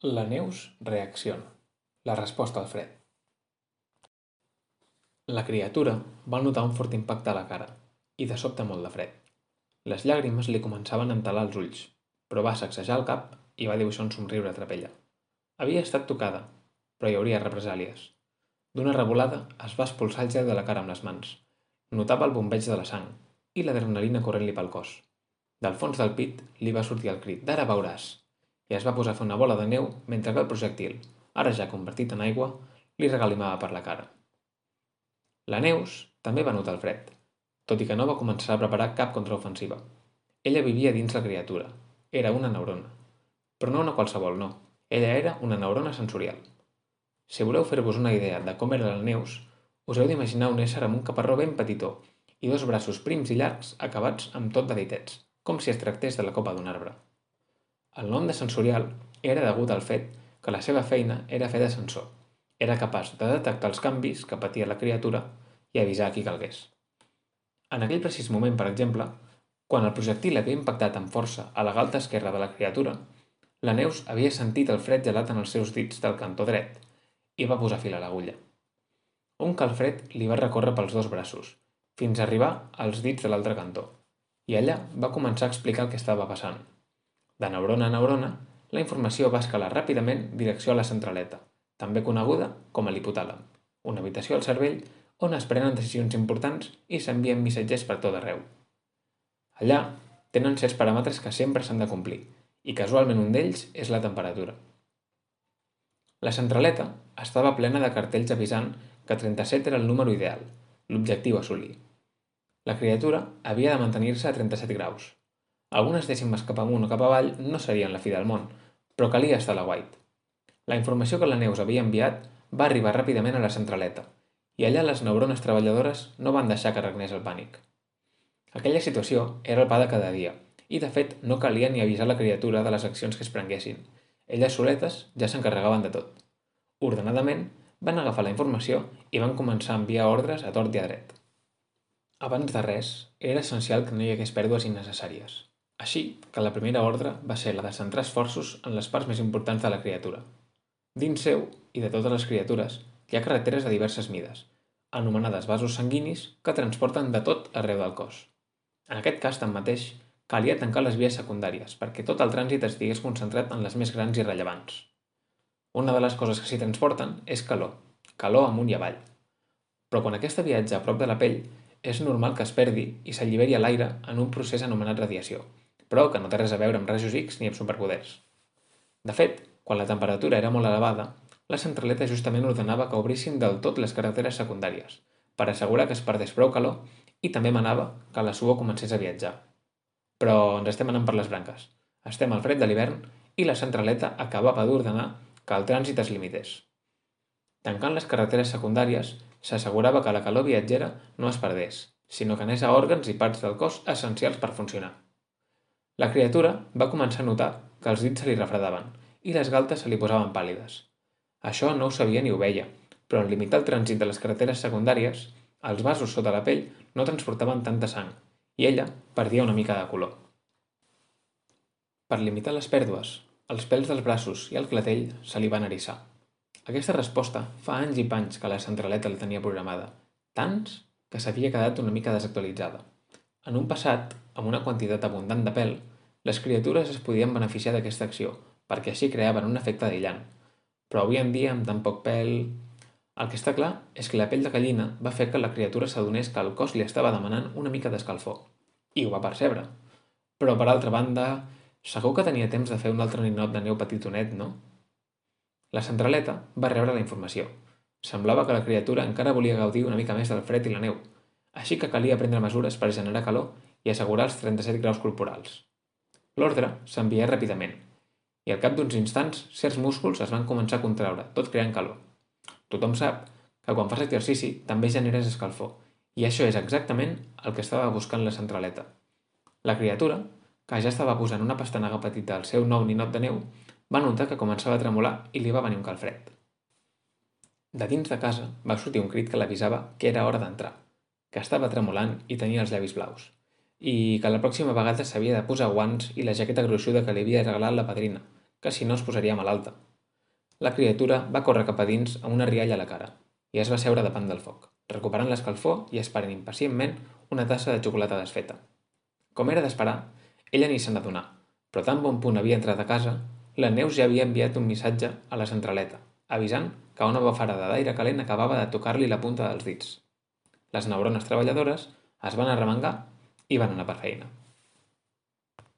La Neus reacciona. La resposta al fred. La criatura va notar un fort impacte a la cara i de sobte molt de fred. Les llàgrimes li començaven a entelar els ulls, però va sacsejar el cap i va dibuixar un somriure a trapella. Havia estat tocada, però hi hauria represàlies. D'una revolada es va expulsar el gel de la cara amb les mans. Notava el bombeig de la sang i l'adrenalina corrent-li pel cos. Del fons del pit li va sortir el crit d'ara veuràs i es va posar a fer una bola de neu mentre que el projectil, ara ja convertit en aigua, li regalimava per la cara. La Neus també va notar el fred, tot i que no va començar a preparar cap contraofensiva. Ella vivia dins la criatura. Era una neurona. Però no una qualsevol, no. Ella era una neurona sensorial. Si voleu fer-vos una idea de com era la Neus, us heu d'imaginar un ésser amb un caparró ben petitó i dos braços prims i llargs acabats amb tot de ditets, com si es tractés de la copa d'un arbre. El nom de sensorial era degut al fet que la seva feina era fer de sensor. Era capaç de detectar els canvis que patia la criatura i avisar a qui calgués. En aquell precís moment, per exemple, quan el projectil havia impactat amb força a la galta esquerra de la criatura, la Neus havia sentit el fred gelat en els seus dits del cantó dret i va posar fil a l'agulla. Un calfred li va recórrer pels dos braços, fins a arribar als dits de l'altre cantó, i allà va començar a explicar el que estava passant. De neurona a neurona, la informació va escalar ràpidament direcció a la centraleta, també coneguda com a l'hipotàlem, una habitació al cervell on es prenen decisions importants i s'envien missatgers per tot arreu. Allà tenen certs paràmetres que sempre s'han de complir, i casualment un d'ells és la temperatura. La centraleta estava plena de cartells avisant que 37 era el número ideal, l'objectiu a assolir. La criatura havia de mantenir-se a 37 graus. Algunes dècimes cap amunt o cap avall no serien la fi del món, però calia estar a la White. La informació que la Neus havia enviat va arribar ràpidament a la centraleta, i allà les neurones treballadores no van deixar que regnés el pànic. Aquella situació era el pa de cada dia, i de fet no calia ni avisar la criatura de les accions que es prenguessin. Elles soletes ja s'encarregaven de tot. Ordenadament, van agafar la informació i van començar a enviar ordres a tort i a dret. Abans de res, era essencial que no hi hagués pèrdues innecessàries. Així que la primera ordre va ser la de centrar esforços en les parts més importants de la criatura. Dins seu, i de totes les criatures, hi ha carreteres de diverses mides, anomenades vasos sanguinis que transporten de tot arreu del cos. En aquest cas, tanmateix, calia tancar les vies secundàries perquè tot el trànsit estigués concentrat en les més grans i rellevants. Una de les coses que s'hi transporten és calor amunt i avall. Però quan aquesta viatja a prop de la pell, és normal que es perdi i s'alliberi a l'aire en un procés anomenat radiació, però que no té res a veure amb rajos X ni amb superpoders. De fet, quan la temperatura era molt elevada, la centraleta justament ordenava que obrissin del tot les carreteres secundàries, per assegurar que es perdés prou calor i també manava que la suor comencés a viatjar. Però ens estem anant per les branques. Estem al fred de l'hivern i la centraleta acabava d'ordenar que el trànsit es limités. Tancant les carreteres secundàries, s'assegurava que la calor viatgera no es perdés, sinó que anés a òrgans i parts del cos essencials per funcionar. La criatura va començar a notar que els dits se li refredaven i les galtes se li posaven pàl·lides. Això no ho sabia ni ho veia, però en limitar el trànsit de les carreteres secundàries, els vasos sota la pell no transportaven tanta sang i ella perdia una mica de color. Per limitar les pèrdues, els pèls dels braços i el clatell se li van eriçar. Aquesta resposta fa anys i panys que la centraleta la tenia programada, tants que s'havia quedat una mica desactualitzada. En un passat, amb una quantitat abundant de pèl, les criatures es podien beneficiar d'aquesta acció, perquè així creaven un efecte aïllant. Però avui en dia, amb tan poc pèl... El que està clar és que la pell de gallina va fer que la criatura s'adonés que el cos li estava demanant una mica d'escalfor. I ho va percebre. Però, per altra banda, segur que tenia temps de fer un altre ninot de neu petitonet, no? La centraleta va rebre la informació. Semblava que la criatura encara volia gaudir una mica més del fred i la neu, així que calia prendre mesures per generar calor i assegurar els 37 graus corporals. L'ordre s'envià ràpidament, i al cap d'uns instants certs músculs es van començar a contraure, tot creant calor. Tothom sap que quan fas exercici també generes escalfor, i això és exactament el que estava buscant la centraleta. La criatura, que ja estava posant una pastanaga petita al seu nou ninot de neu, va notar que començava a tremolar i li va venir un calfred. De dins de casa va sortir un crit que l'avisava que era hora d'entrar, que estava tremolant i tenia els llavis blaus, i que la pròxima vegada s'havia de posar guants i la jaqueta gruixuda que li havia regalat la padrina, que si no es posaria malalta. La criatura va córrer cap a dins amb una rialla a la cara i es va seure davant del foc, recuperant l'escalfor i esperant impacientment una tassa de xocolata desfeta. Com era d'esperar, ella ni se n'adonà, però tan bon punt havia entrat a casa, la Neus ja havia enviat un missatge a la centraleta, avisant que una bafarada d'aire calent acabava de tocar-li la punta dels dits. Les neurones treballadores es van arremangar i van anar per feina.